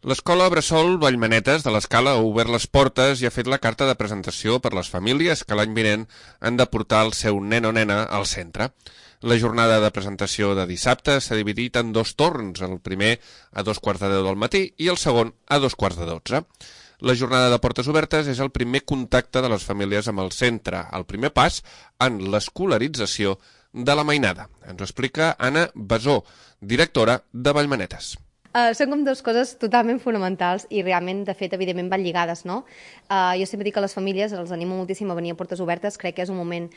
L'escola Bressol Vallmanetes de l'Escala ha obert les portes i ha fet la carta de presentació per les famílies que l'any vinent han de portar el seu nen o nena al centre. La jornada de presentació de dissabte s'ha dividit en dos torns, el primer a 2:15 del matí i el segon a 2:40. La jornada de portes obertes és el primer contacte de les famílies amb el centre, el primer pas en l'escolarització de la mainada. Ens ho explica Anna Besó, directora de Vallmanetes. Són com dues coses totalment fonamentals i realment, de fet, evidentment van lligades, no? Jo sempre dic que les famílies els animo moltíssim a venir a portes obertes, crec que és un moment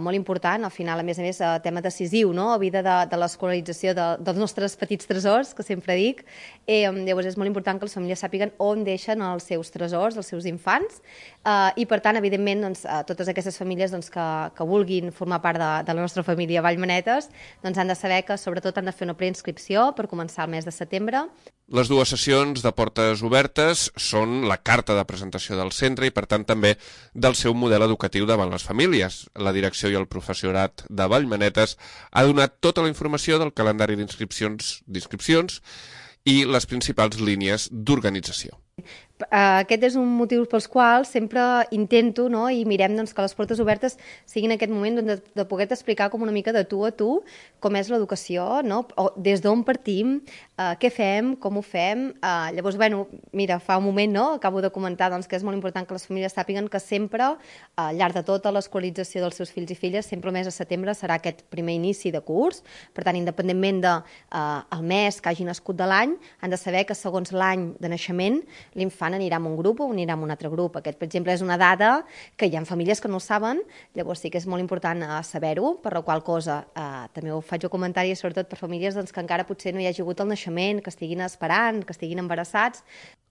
molt important, al final, a més, tema decisiu, no? A vida de l'escolarització dels nostres petits tresors, que sempre dic. Llavors és molt important que les famílies sàpiguen on deixen els seus tresors, els seus infants, i per tant, evidentment, doncs, totes aquestes famílies doncs, que vulguin formar part de la nostra família Vallmanetes doncs, han de saber que sobretot han de fer una preinscripció per començar el mes de setembre. Les dues sessions de portes obertes són la carta de presentació del centre i, per tant, també del seu model educatiu davant les famílies. La direcció i el professorat de Vallmanetes ha donat tota la informació del calendari d'inscripcions i les principals línies d'organització. Aquest és un motiu pels quals sempre intento, no, i mirem doncs, que les portes obertes siguin en aquest moment doncs, de poder explicar com una mica de tu a tu com és l'educació, no? O des d'on partim, què fem, com ho fem. Llavors, bueno, mira, fa un moment no, acabo de comentar doncs, que és molt important que les famílies sàpiguen que sempre, al llarg de tota l'escolarització dels seus fills i filles, sempre el mes de setembre serà aquest primer inici de curs. Per tant, independentment del mes que hagi nascut de l'any, han de saber que segons l'any de naixement l'infant anirà a un grup o anirà a un altre grup. Aquest, per exemple, és una dada que hi ha famílies que no ho saben, llavors sí que és molt important saber-ho, per la qual cosa també ho faig a comentari, sobretot per famílies doncs, que encara potser no hi hagi hagut el naixement, que estiguin esperant, que estiguin embarassats.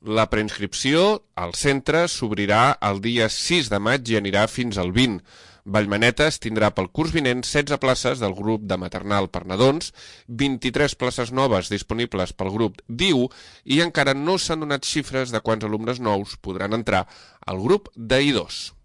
La preinscripció al centre s'obrirà el dia 6 de maig i anirà fins al 20. Vallmanetes tindrà pel curs vinent 16 places del grup de maternal per nadons, 23 places noves disponibles pel grup d'IU i encara no s'han donat xifres de quants alumnes nous podran entrar al grup d'I2.